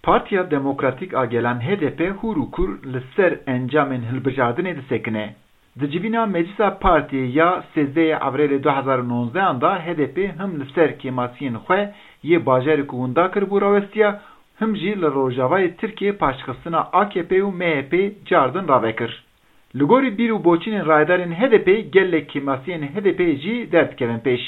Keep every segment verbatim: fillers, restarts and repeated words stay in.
Partiya Demokratîk a Gelan H D P hûr û kûr li ser encamên hilbijartinê disekine. Di civîna Meclisa Partiyê ya sêzdehê Avrêlê du hezar û nozdehan de H D P him li ser kêmasiyên xwe yê bajarê ku winda kiribû rawestiya, him jî li rojavayê Tirkiyê paştxistina A K P û M H P cardin ravekir. Li gorî bîr û boçînên rayedarên H D P gelek kêmasiyên H D P jî derdikevin pêş.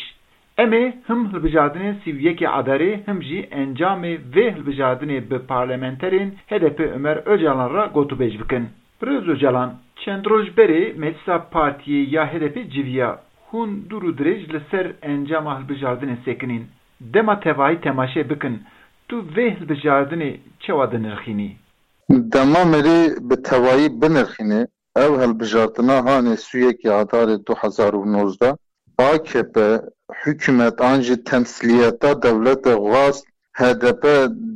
Em ê him hilbijartinên sî û yekê Adarê him jî encamê vê hilbijartinê bi parlamenterên H D P Ömer Ocalan re gotûbêj bikin. Birêz Ocalan, çend roj berê Meclisa Partiyê ya H D P civiya. Hûn dûr û dirêj li ser encama hilbijartinê sekinîn. Dema tevahî temaşe bikin, tu vê hilbijartinê çawa dinirxînî? Dema merî bi tevayî binirxîne, ew hilbijartina hanê sî û yekê Adarê du hezar û nozdeh, A K P hikûmet an jî temsîliyeta dewletê xwest H D P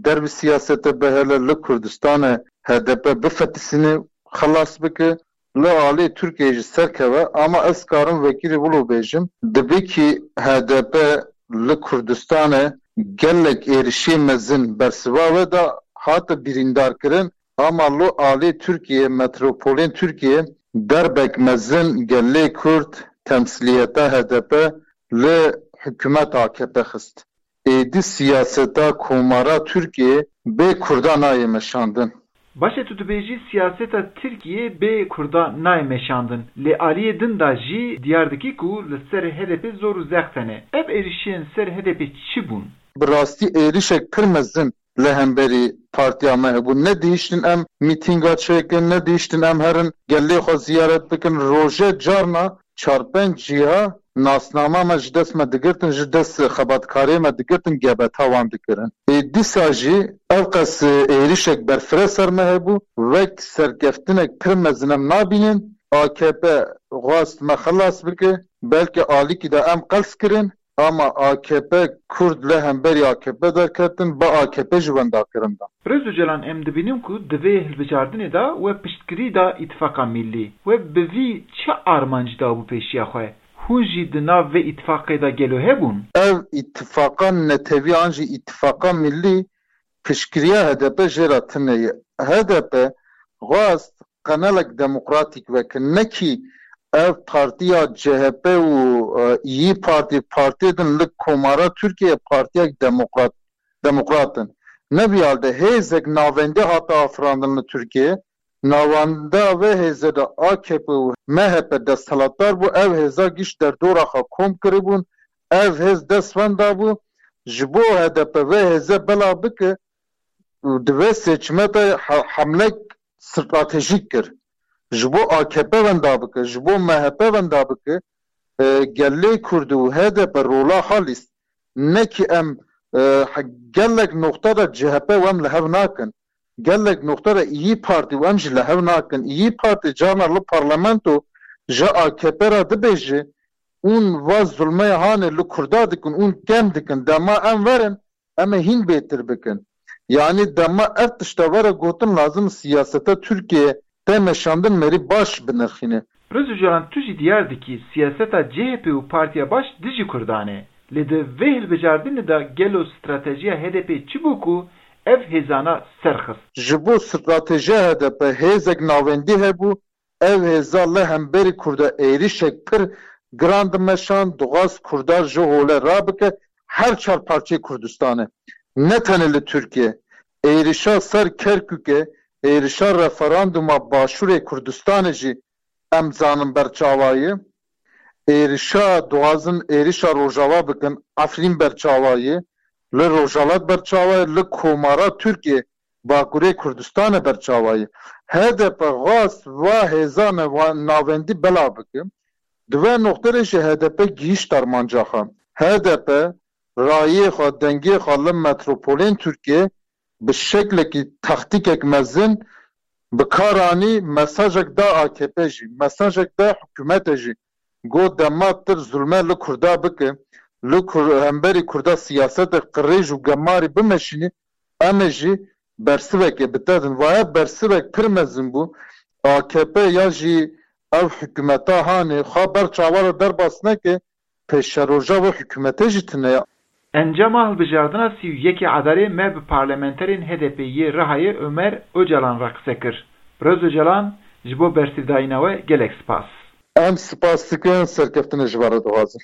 dervî siyasete bihêle, li Kurdistanê H D P bifetisîne, xilas bike, li alî Tirkiyeyê jî serkeve, ama ez karim vekirî wilo bêjim, dibikî H D P li Kurdistanê gelek êrişê mezin bersiva wê de hate birîndarkirin, ama li alî Tirkiyeyê, metropolên Tirkiyeyê derbek mezin gelê Kurd temsîliyeta H D P li hikûmet A K P xist. Êdî siyaseta komara Tirkiyeyê bê Kurda nayê meşandin. Baş e, tu dibêjî siyaseta Tirkiyê bê Kurda nayê meşandin. Lê aliyê din de jî diyar dikî ku li ser H D P zor û zext hene. Ev êrişên ser H D P çi bûn? Bi rastî êrişek pir mezin li hemberî partiya me hebû. Nedihiştin em mîtînga çêkin, nedihiştin em herin gelê xwe ziyaret bikin. Roje carna çar pênc cîha nasnama me ji dest me digirtin, ji dest xebatkarê me digirtin, gebeta wan dikirin. Ê dîsa jî ev qas êrişek berfireh ser me hebû, wek serkeftinek pir mezin em nabînin. A K P xwest me xilas bike, belkî alîkî de em qels kirin, ama A K P, Kurd li hemberî A K P derketin, bi A K P jî wendakirin de. Birêz Ocalan, em dibînin ku di vê hilbijartinê de we piştgirî da Îtifaqa Millî. We bi vî çi armanc dabû pêşiya xwe? Hûn jî di nav vê îtifaqê de gelo hebûn? Ev îtifaqa netewî an jî Îtifaqa Millî piştgiriya H D P jê re tune ye. H D P xwest qenelek demokratîk veke, nekî ev partiya C H P û, e, İYİ Parti, partiyê din li Komara Tirkiyeyê partiyek demokrat, demokrat in. Ne vî hal de hêzek navendî hate afirandin li Tirkiyeyê. Navenda vê hêzê de A K P û M H P desthilatdar bû. Ev hêza giş derdora xwe kom kiribûn. Ev hêz dest wenda bû. Ji bo H D P vê hêze bela bike, û di vê seçime de he-, hemlek stratejîk kir. Ji bo A K P wenda bike, ji bo M H P wenda bike, e, gelê Kurd û H D P rola xwe lîst. Nekî em, e, he-, gelek noqta de C H P û em li hev nakin. Gelek noqta de İYİ Parti û em jî li hev nakin. İYİ Parti carna li parlamento ji A K P re dibêje, hûn va zulmê hanê li Kurda dikin, hûn kem dikin. Dema em verin, em ê hîn bêtir bikin. Yanî dema ev tişta were gotin, lazim siyaseta Tirkiyeyê tê meşandin merî baş binirxîne. Birêz Ocalan, tu jî diyar dikî siyaseta C H P û Partiya Baş dijî Kurdan e. Lê di vê hilbijartinê de gelo stratejiya H D P çi bû ku ev hêzana ser xist? Ji bo stratejiya H D P hêzek navendî hebû, ev hêza li hemberî Kurda êrişek pir giran dimeşand, dixwast Kurda ji holê rabike her çar parçeyê Kurdistanê. Ne tenê li Tirkiye. Êrişa ser Kerkûkê, êrişa referanduma Başûrê Kurdistanê jî em zanin ber çawa ye. Êrişa, dixwazin êrişa Rojava bikin, Efrîn ber çawa ye. Li Rojava ber çawa ye, li Komara Tirkiye Bakurê Kurdistanê ber çawa ye. H D P xwest va hêzane va navendî bela bike. Di vê noqtê de jî H D P gihîşt armanca xwe. H D P rayê xwe, dengê xwe li metropolên Tirkiyê bi şeklekî taktîkek mezin bi kar anî, mesajek da A K P jî, mesajek da hikûmetê jî. Got, dema tu zulme li Kurda bike, li Kur-, hemberî Kurda siyasetek qirêj û gemarî bimeşînî, em ê jî bersivekê bi te din. Vaye bersivek pir mezin bû. A K P ya jî ev hikûmeta hanê xwe ber çawa re derbas neke, pêşeroja vê hikûmetê jî tune ye. Encama hilbijardina sî û yekê Adarê me bi parlamenterên H D P yê Rihayê Omer Ocalan re qise kir. Birêz Ocalan, ji bo bersivdayîna we gelek spas. Em spas dikin, serkeftinê ji we re dixwazin.